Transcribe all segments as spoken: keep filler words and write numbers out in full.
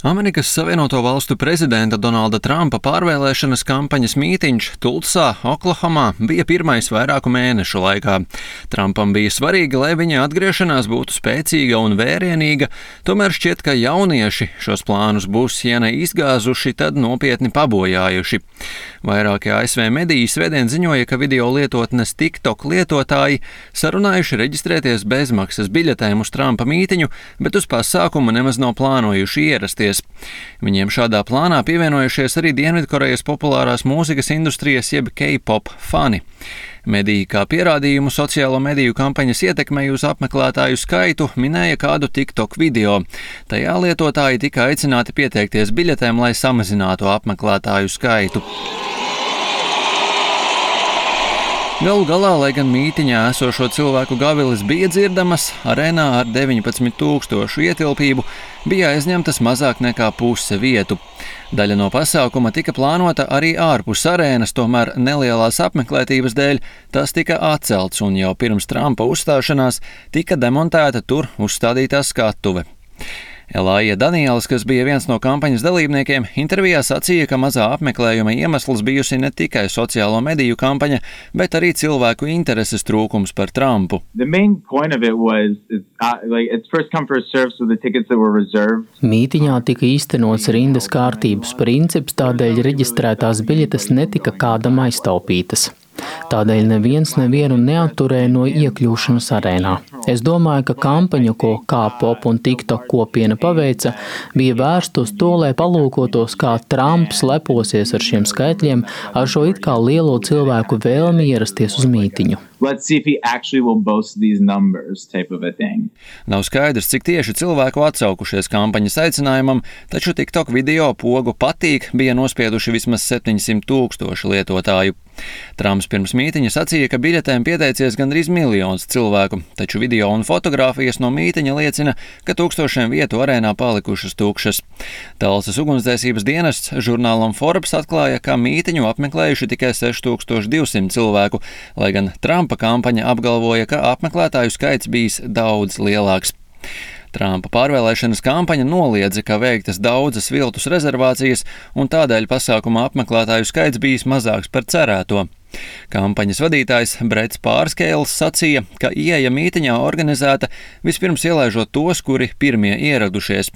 Amerikas Savienoto Valstu prezidenta Donalda Trumpa pārvēlēšanas kampaņas mītiņš Tulsā, Oklahomā bija pirmais vairāku mēnešu laikā. Trumpam bija svarīgi, lai viņa atgriešanās būtu spēcīga un vērienīga, tomēr šķiet, ka jaunieši šos plānus būs, ja ne izgāzuši, tad nopietni pabojājuši. Vairākie A S V mediji svētdien ziņoja, ka video lietotnes TikTok lietotāji sarunājuši reģistrēties bezmaksas biļetēm uz Trumpa mītiņu, bet uz pasākumu nemaz nav plānojuši ierasties. Viņiem šādā plānā pievienojušies arī Dienvidkorejas populārās mūzikas industrijas jeb K-pop fani. Mediji kā pierādījumu sociālo mediju kampaņas ietekmei uz apmeklētāju skaitu minēja kādu TikTok video. Tajā lietotāji tika aicināti pieteikties biļetēm, lai samazinātu apmeklētāju skaitu. Galu galā, lai gan mītiņā esošo cilvēku gavilis bija dzirdamas, arēnā ar deviņpadsmit tūkstošu ietilpību bija aizņemtas mazāk nekā puse vietu. Daļa no pasākuma tika plānota arī ārpus arēnas, tomēr nelielās apmeklētības dēļ tas tika atcelts un jau pirms Trumpa uzstāšanās tika demontēta tur uzstādītā skatuve. Elaija Daniels, kas bija viens no kampaņas dalībniekiem, intervijā sacīja, ka mazā apmeklējuma iemesls bijusi ne tikai sociālo mediju kampaņa, bet arī cilvēku intereses trūkums par Trumpu. Mītiņā tika īstenots rindas kārtības princips, tādēļ reģistrētās biļetes netika kādam aiztaupītas. Tādēļ neviens nevienu neatturēja no iekļūšanas arēnā. Es domāju, ka kampaņa, ko K-pop un TikTok kopiena paveica, bija vērsta uz to, lai palūkotos, kā Trumps leposies ar šiem skaitļiem, ar šo it kā lielo cilvēku vēlmi ierasties uz mītiņu. Nav skaidrs, cik tieši cilvēku atsaukušies kampaņas aicinājumam, taču TikTok video pogu patīk bija nospieduši vismaz septiņsimt tūkstoši lietotāju. Trumps pirms mītiņa sacīja, ka biļetēm pieteicies gandrīz miljons cilvēku, taču video un fotogrāfijas no mītiņa liecina, ka tūkstošiem vietu arēnā palikušas tukšas. Talsas ugunsdzēsības dienests žurnālam Forbes atklāja, ka mītiņu apmeklējuši tikai seši tūkstoši divsimt cilvēku, lai gan Trumpa kampaņa apgalvoja, ka apmeklētāju skaits bijis daudz lielāks. Trumpa pārvēlēšanas kampaņa noliedza, ka veiktas daudzas viltus rezervācijas, un tādēļ pasākuma apmeklētāju skaits bijis mazāks par cerēto. Kampaņas vadītājs Brets Pārskēls sacīja, ka ieeja mītiņā organizēta vispirms ielaižot tos, kuri pirmie ieradušies.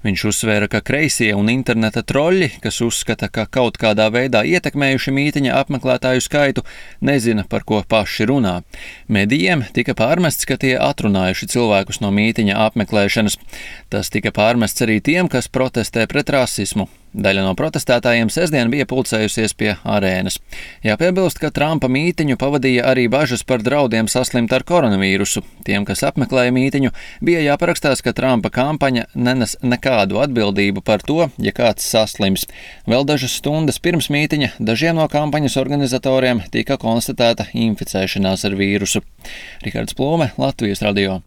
Viņš uzsvēra, ka kreisie un interneta troļļi, kas uzskata, ka kaut kādā veidā ietekmējuši mītiņa apmeklētāju skaitu, nezina, par ko paši runā. Medijiem tika pārmests, ka tie atrunājuši cilvēkus no mītiņa apmeklēšanas. Tas tika pārmests arī tiem, kas protestē pret rasismu. Daļa no protestētājiem sestdien bija pulcējusies pie arēnas. Jāpiebilst, ka Trumpa mītiņu pavadīja arī bažas par draudiem saslimt ar koronavīrusu. Tiem, kas apmeklēja mītiņu, bija jāparakstās, ka Trumpa kampaņa nenes nekādu atbildību par to, ja kāds saslims. Vēl dažas stundas pirms mītiņa dažiem no kampaņas organizatoriem tika konstatēta inficēšanās ar vīrusu. Rihards Plūme, Latvijas radio.